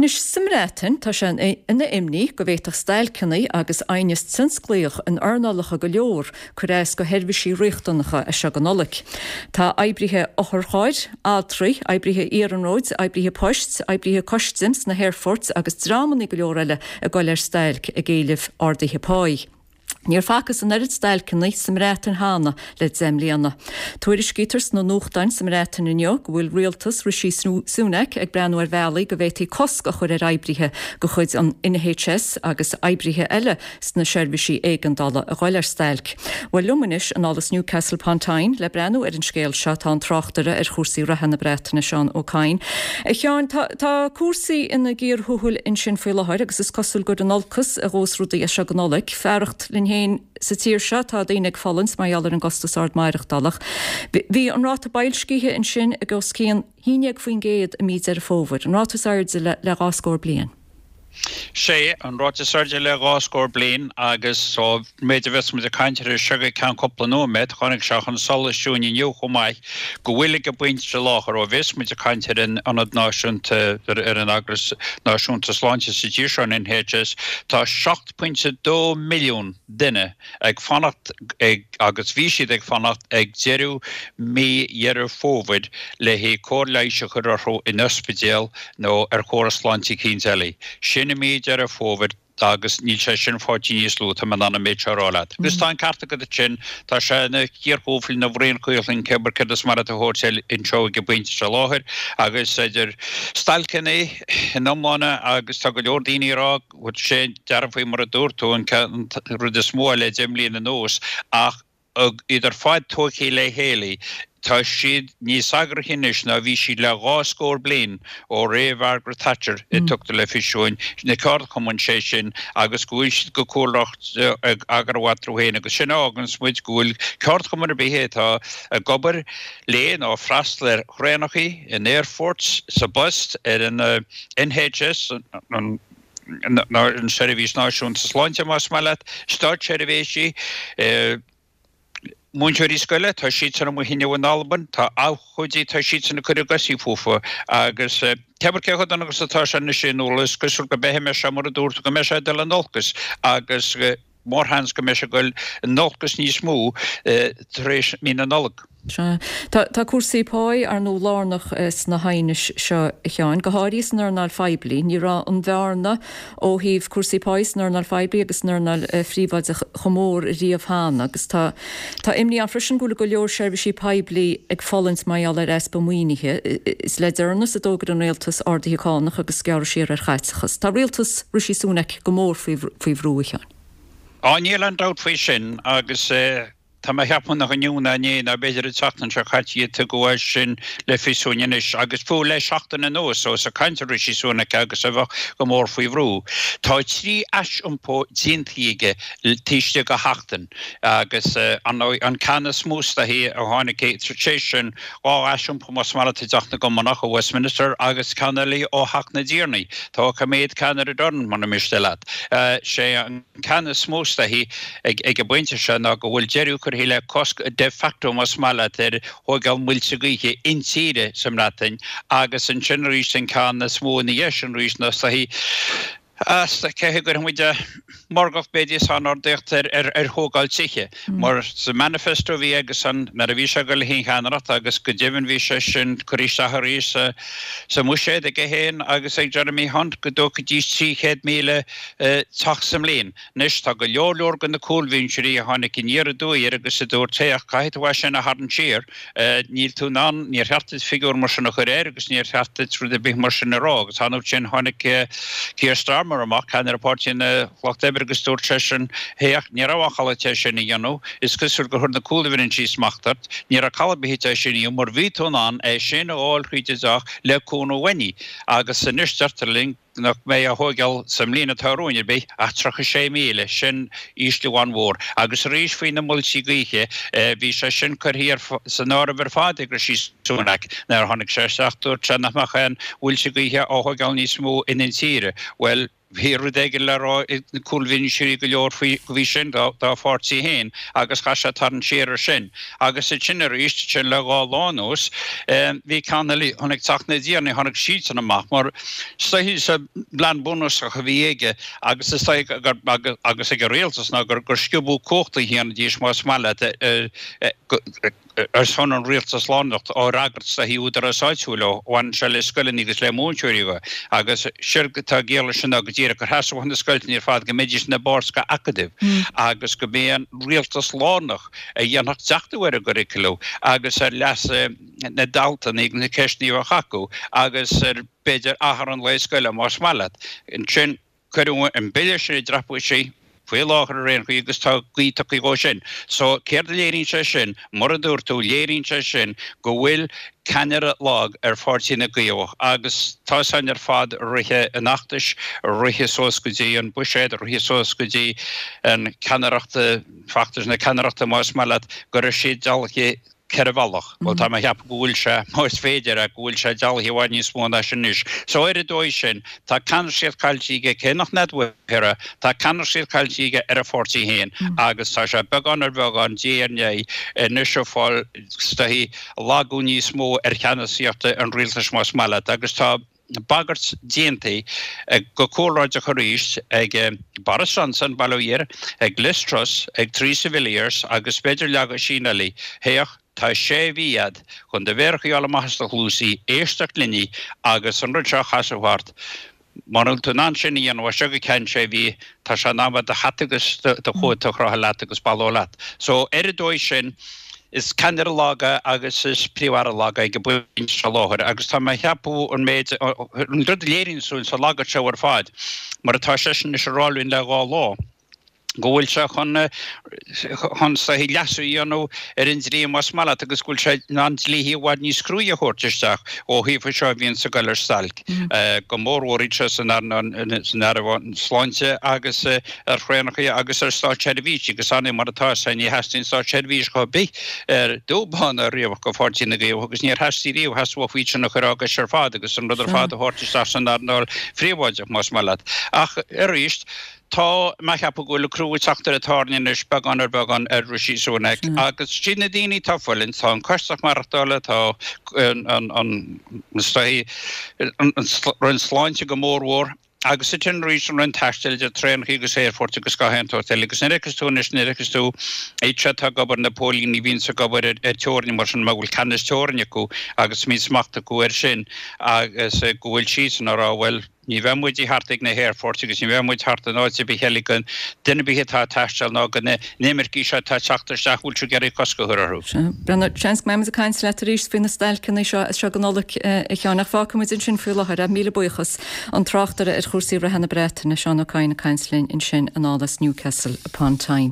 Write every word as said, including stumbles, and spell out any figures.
Anois sa mBreatain tá sé ina imní go bhféadfadh stailceanna agus aighneas tionsclaíoch in earnálacha go leor cur as do sheirbhísí riachtanacha as seo go Nollaig. Tá oibrithe otharchairr, altraí, oibrithe iarnróid, oibrithe poist, oibrithe custaim sna haerfoirt agus dreamanna go leor eile ag dul ar stailc ag éileamh arduithe páí. Níor facthas an oiread stailceanna sa mBreatain cheana le deich mbliana. Tuairiscítear sna nuachtáin sa mBreatain inniu go bhfuil rialtas Rishi Sunak ag breathnú ar bhealaí go bhféadfaí cosc a chur ar oibrithe de chuid an NHS agus oibrithe eile sna seirbhísí éigeandála a dhul ar stailc. Well liom anois anall as Newcastle upon Tyne le breathnú ar an scéal seo tá an tráchtaire ar chúrsaí reatha na Breataine Seán Ó Cadhain. A Sheáin tá cúrsaí ina gcíor thuathail ansin faoi láthair agus is cosúil gur in olcas a ghabhfas rudaí as seo go Nollaig fearacht linn féin sa tír seo tá daoine ag fulaingt mar gheall ar an gcostas ard maireachtála. Bhí an ráta boilscithe ansin ag os cionn haon déag faoin gcéad i mí Deireadh Fómhair, an ráta is airde le, le dhá scór bliain. Sé an ráta is airde le dhá scór bliain agus so méid a bheas muid ag caint air seo go ceann cúpla nóiméad tháinig sé chun solais dúinn inniu chomh maith go bhfuil ag an bpointe seo láthair ó bheas muid ag caint ar an ionad náisiúnta ar an eagras náisiúnta sláinte sa tír seo an NHS tá seacht pointe dó milliún duine ag fanacht ag agus bhí siad ag fanacht ag deireadh mí Dheireadh Fómhair le haghaidh cóir leighis a chur orthu in ospidéal nó ar chóras sláinte eicínt eile. Sin i mí Dheireadh Fómhair agus níl sé sin faighte níos lú tá mé in ann an méid seo a rá leat. Agus tá an ceart agat sin tá sé ina chíor thuathail ina bhraon caolchloinn cé céard is maith leat a thabhairt anseo ag an bpointe seo láthair agus idir stailceanna in iomláine agus tá go leor daoine ag rá bhfuil sé dearfaí mar a dúirt tú an rud is mó le deich mbliana anuas ach iad ar fad tógtha le chéile tá siad níos eagraithe anois ná bhí siad le dhá scór bliain ó ré Margaret Thatcher i tugtar le fios dúinn na ceardchumainn sé sin agus go bhfuil siad go cúramach ag eagrú eatarthu féin agus sin a fháganns muid go bhfuil ceardchumann ar bith atá ag obair le nó freastal ar thraenacha in airports sa bpost ar an NHS an an Seirbhís Náisiúnta Sláinte más maith leat, státseirbhísí, múinteoirí scoile, tá siad san amuigh inniu in Albain, tá abhcóidí, tá siad san ag cur a gcosaí fúthu agus cé cé chomh dona agus atá sé anois in Uladh, is cosúil go mbeidh sé mar a dúirt tú go mbeidh sé ag dul in olcas agus mórsheans go mbeidh sé ag dul in olcas níos mó tar éis mí na Nollag. Tá tá cúrsaí páí ar ndóigh lárnach sna haighnis seo a Sheáin, go háirithe san earnáil phoiblí, ní raibh an bhearna ó thaobh cúrsaí páí san earnáil phoiblí agus san earnáil phríobháideach chomh mór riamh cheana agus tá tá imní ann freisin go bhfuil go leor seirbhísí poiblí ag fulaingt mar gheall ar easpa maoinithe. Is le deireanas a d'fhógair an rialtas arduithe cánach agus gearradh siar ar chaiteachas. Tá rialtas Rishi Sunak go mór faoi faoi bhrú a Sheáin. Á níl aon dabht faoi sin agus Tá mé ag ceapadh nach inniu ná inné ná b'fhéidir an tseachtain seo caite a tugadh é sin le fios dúinn anois agus fiú le seachtain anuas ós ag caint ar Rishi Sunak agus a bheadh go mór faoi bhrú. Tá trí aisiompó déanta aige taobh istigh de sheachtain agus an ceann is mó is dóichí a tháinig sé sin dhá aisiompó más maith leat i dTeach na gCommonach ó Westminster agus ceann eile ó Theach na dTiarnaí. Tá coiméad ceann ar an dorn mura miste leat. Sé an ceann is mó is dóichí ag an bpointe seo ná go bhfuil deireadh curtha le cosc de facto más maith leat ar thógáil muilte gaoithe intíre sa mBreatain agus ansin arís an ceann is mó ina dhiaidh sin arís ná is dóichí cé go gcuirfidh muid maorgacht b'fhéidir is an-ardaíocht ar ar thógáil tithe mar sa manifesto a bhí aigesan nuair a bhí sé ag dul le haghaidh an cheannaireacht agus go deimhin bhí sé sin curtha isteach arís sa mbuiséad aige féin agus ag Jeremy Hunt go dtógfaidís trí chéad míle teach sa mbliain. Anois tá go leor leor de na cúlbhinseoirí a tháinig aniar aduaidh air agus a dúirt, Féach, caithfidh tú é sin a tharraingt siar, níl tú in ann, níor cheart duit figiúr mar sin a chur air agus níor cheart duit rud ar bith mar sin a rá. Agus an uair sin tháinig Keir Starmer amach, ceannaire Páirtí an Lucht Oibre agus dúirt seisean, Féach, ní raibh aon chall agat é sin a dhéanamh, is cosúil gur chuir na cúlbhinsí smacht ort, ní raibh call ar bith agat é sin a dhéanamh mar bhí tú in ann é sin a fháil thríd an dteach le cúnamh uainne agus anois deirtear linn, nach mbeidh á thóigeáil sa mbliain atá romhainn ar bith ach tríocha sé míle, sin ísliú an-mhór. Agus arís faoi na muilte gaoithe, bhí sé sin curtha san áireamh ar fad ag Rishi Sunak nuair a tháinig sé isteach, dúirt sé nach mbeadh aon mhuilte gaoithe á thóigeáil níos mó in intíre. Bhuel, Bhí rud éigin le rá ag na cúlbhinseoirí go leor faoi faoi sin dá dá pháirtí féin agus chaith sé tarraingt siar ar sin. Agus ansin arís, sin le dhá lá anuas, bhí ceann eile tháinig teacht na dTiarnaí, tháinig siadsan amach mar is dóichí sa bplean bunúsach a bhí aige agus is dóichí gur agus ag an rialtas ná gur gur sciobadh cumhachta a dhéanfaidís más maith leat ar son an rialtas lárnach á fhreagairt is dóichí údarás áitiúil ó bhaineann sé le scoileanna agus le múinteoirí dhe agus séard atá i gciall leis sin ná go díreach gur sheasódh na scoilteanna ar fad go mbeidís ina bpáirt de acadaimh agus go mb'é an rialtas lárnach a dhéanfadh deachtú ar an gcurriculum agus ar leas na ndaltaí agus na ceisteanna a bheadh acu agus ar b'fhéidir athrú an lae scoile más maith leat. Ansin cuireadh an bille sin i dtraipisí faoi láthair ar aon chaoi agus tá gaoth tagtha dhó sin. So céard a léiríonn sé sin? Mar a dúirt tú, léiríonn sé sin go bhfuil ceannaire lag ar Pháirtí na gCaomhach agus tá san ar fad rite an fheachtais, rite suas go dtí an buiséad, rite suas go dtí an ceannaireacht, feachtas na ceannaireachta más maith leat, go raibh siad dealaithe ceithre bhealach. Bhuel, tá mé a cheapadh go bhfuil sé, más féidir é, go bhfuil sé dealaithe i bhfad níos mó ná sin anois. So ar an dóigh sin, tá ceannasaíocht caillte aige, cé nach n-admhaítear é, tá ceannasaíocht caillte aige ar a pháirtí féin agus tá sé beagán ar bheagán, diaidh ar ndiaidh, anois ag fáil, is dóichí, lagú níos mó ar cheannasaíocht an rialtais más maith leat agus tá bagairt déanta go cúlráideach arís ag Boris Johnson, bail ó Dhia air, ag Liz Truss, ag Theresa Villiers agus b'fhéidir leathmheaisín eile, féach, tá sé mhí agat chun do mhéar a choinneáil amach as do chluasaí, éisteacht linne agus an rud seo a chasadh thart. Mura bhfuil tú in ann sin a dhéanamh as seo go ceann sé mhí, tá sé in am agat do hata agus do chóta a chrochadh leat agus bail leat. So, ar an dóigh sin, is ceannaire lag é agus is príomh-aire lag é ag an bpointe seo láthair agus tá mé a cheapadh an méid, an rud a léiríonn súil sa lagad seo ar fad, mar atá seisean anois ag rá linn le dhá lá, go bhfuil sé chun chun is dóichí leasú a dhéanamh ar an dlí más maith leat agus go bhfuil sé in ann dlíthe i bhfad níos cruaidhe a thabhairt isteach ó thaobh seo a bhíonns ag goil ar stailc, go mórmhór iad seo san earnáil san earnáil sláinte agus ar thraenacha agus ar státseirbhísigh agus ar ndóigh mar atá sé ní theastaíonn státseirbhíseach ar bith ar dubh bán ná riabhach go Pháirtí na gCaomhach agus níor theastaigh riamh theastódh iad sin a chur á gcois ar fad agus an rud ar fad a thabhairt isteach san earnáil phríobháideach más maith leat. Ach arís Tá mé a cheapadh go bhfuil an crú ag teacht ar an tairne anois, beagán ar bheagán, ar Rishi Sunak. Agus siad na daoine atá ag fulaingt, tá an costas maireachtála, tá an, an, is dóichí, an Roinn Sláinte go mórmhór, agus ansin arís an Roinn Taistil idir traenacha agus aerfoirt agus gach aon tsórt eile. Agus nuair a fheiceas tú anois, nuair a fheiceas tú iad seo atá ag obair, na póilíní a bhíonns ag obair ar teorainn mar sin, mar go bhfuil ceannas teorainn acu agus mbíonn smacht acu air sin agus go bhfuil siadsan ag rá, bhuel, Ní bheidh muid thart ag na haerfoirt agus ní bheidh muid thart in áit ar bith eile go duine ar bith atá ag taisteal ná go na n-imircigh seo atá ag teacht isteach a bhfuil siad ag iarraidh cosc a chur orthu. Sea. Brendan, seans go mbeidh muid ag caint leat arís faoi na stailceanna seo as seo go Nollaig, a Sheáin, ach fágfaidh muid ansin faoi láthair é. Míle buíochas. An tráchtaire ar chúrsaí reatha na Breataine, Seán Ó Cadhain ag caint linn ansin anall as Newcastle upon Tyne.